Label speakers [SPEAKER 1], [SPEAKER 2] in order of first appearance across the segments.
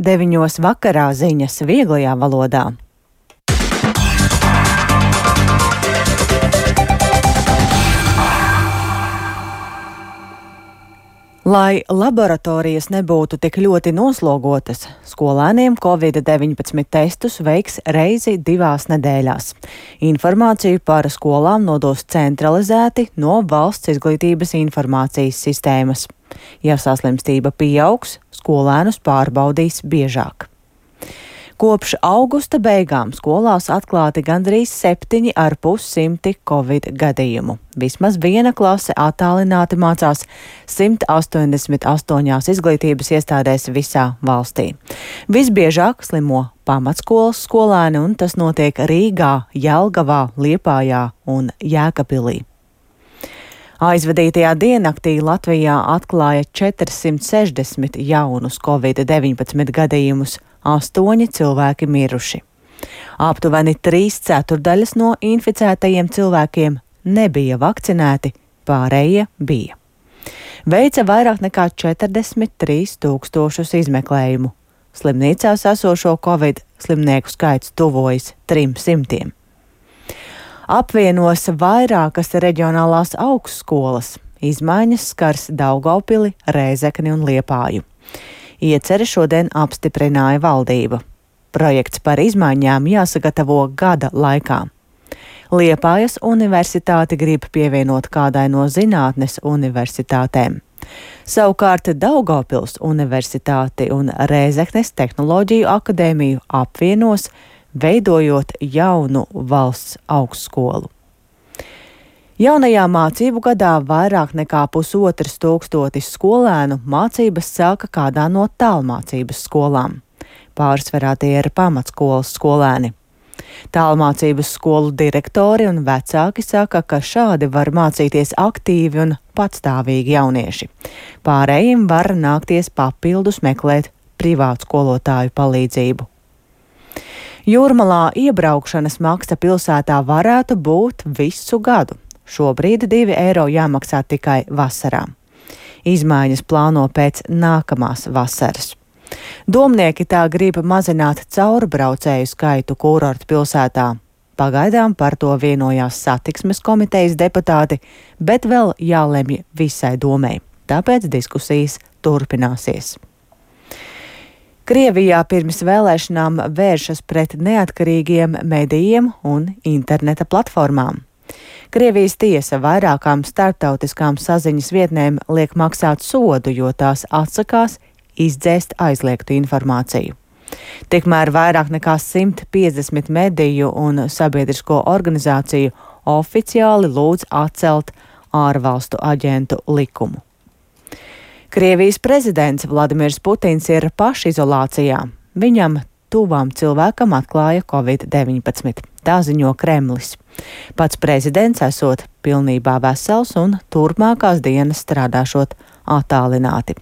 [SPEAKER 1] 9 vakarā ziņas vieglajā valodā. Lai laboratorijas nebūtu tik ļoti noslogotas, skolēniem Covid-19 testus veiks reizi 2 nedēļās. Informāciju par skolām nodos centralizēti no Valsts izglītības informācijas sistēmas. Ja saslimstība pieaugs, skolēnus pārbaudīs biežāk. Kopš augusta beigām skolās atklāti gandrīz 7,5 Covid gadījumu. Vismaz viena klase attālināti mācās 188 izglītības iestādēs visā valstī. Visbiežāk slimo pamatskolas skolēni, un tas notiek Rīgā, Jelgavā, Liepājā un Jēkabpilī. Aizvadītajā diennaktī Latvijā atklāja 460 jaunus Covid-19 gadījumus, 8 cilvēki miruši. Aptuveni 3/4 no inficētajiem cilvēkiem nebija vakcinēti, pārējie bija. Veica vairāk nekā 43 000 izmeklējumu. Slimnīcās esošo Covid slimnieku skaits tuvojas 300. Apvienos vairākas reģionālās augstskolas. Izmaiņas skars Daugavpili, Rēzekni un Liepāju. Ieceri šodien apstiprināja valdība. Projekts par izmaiņām jāsagatavo gada laikā. Liepājas universitāti grib pievienot kādai no zinātnes universitātēm. Savukārt Daugavpils universitāti un Rēzeknes tehnoloģiju akadēmiju apvienos, veidojot jaunu valsts augstskolu. Jaunajā mācību gadā vairāk nekā 1500 skolēnu mācības sāka kādā no tālmācības skolām. Pārsvarā tie ir pamatskolas skolēni. Tālmācības skolu direktori un vecāki saka, ka šādi var mācīties aktīvi un patstāvīgi jaunieši. Pārējiem var nākties papildus meklēt privātu skolotāju palīdzību. Jūrmalā iebraukšanas maksa pilsētā varētu būt visu gadu. Šobrīd 2 eiro jāmaksā tikai vasarā. Izmaiņas plāno pēc nākamās vasaras. Domnieki tā grib mazināt caurbraucēju skaitu kurortu pilsētā. Pagaidām par to vienojās satiksmes komitejas deputāti, bet vēl jālemj visai domei. Tāpēc diskusijas turpināsies. Krievijā pirms vēlēšanām vēršas pret neatkarīgiem medijiem un interneta platformām. Krievijas tiesa vairākām starptautiskām saziņas vietnēm liek maksāt sodu, jo tās atsakās izdzēst aizliegtu informāciju. Tikmēr vairāk nekā 150 mediju un sabiedrisko organizāciju oficiāli lūdz atcelt ārvalstu aģentu likumu. Krievijas prezidents Vladimirs Putins ir pašizolācijā. Viņam tuvām cilvēkam atklāja Covid-19. Tā ziņo Kremlis. Pats prezidents esot pilnībā vesels un turpmākās dienas strādāšot attālināti.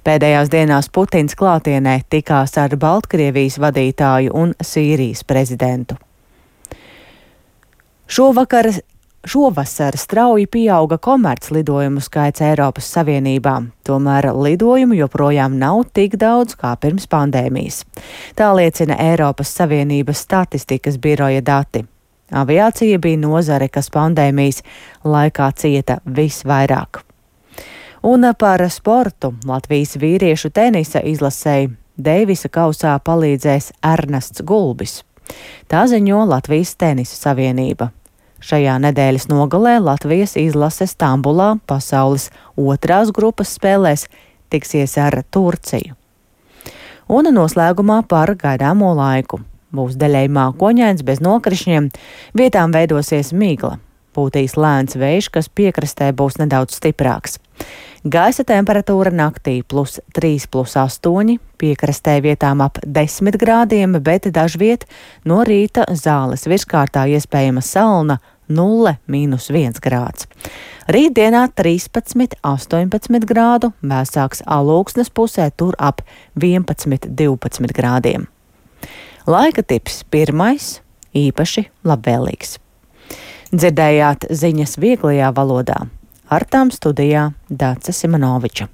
[SPEAKER 1] Pēdējās dienās Putins klātienē tikās ar Baltkrievijas vadītāju un Sīrijas prezidentu. Šovasar strauji pieauga komerclidojumu skaits Eiropas Savienībā, tomēr lidojumu joprojām nav tik daudz kā pirms pandēmijas. Tā liecina Eiropas Savienības statistikas biroja dati. Aviācija bija nozare, kas pandēmijas laikā cieta visvairāk. Un par sportu Latvijas vīriešu tenisa izlasēji Deivisa kausā palīdzēs Ernests Gulbis. Tā ziņo Latvijas tenisa savienība. Šajā nedēļas nogalē Latvijas izlase Stambulā pasaules 2. grupas spēlēs tiksies ar Turciju. Un noslēgumā par gaidāmo laiku. Būs daļēji mākoņains bez nokrišņiem, vietām veidosies migla. Pūtīs lēns vējš, kas piekrastē būs nedaudz stiprāks. Gaisa temperatūra naktī +3, +8, piekrastē vietām ap 10 grādiem, bet dažviet no rīta Zāles virskārtā iespējama salna 0, -1 grāds. Rītdienā 13, 18 grādu, vēsāks Alūksnes pusē, tur ap 11, 12 grādiem. Laika tips 1. īpaši labvēlīgs. Dzirdējāt ziņas vieglajā valodā. Ar tām studijā Dāce Simonoviča.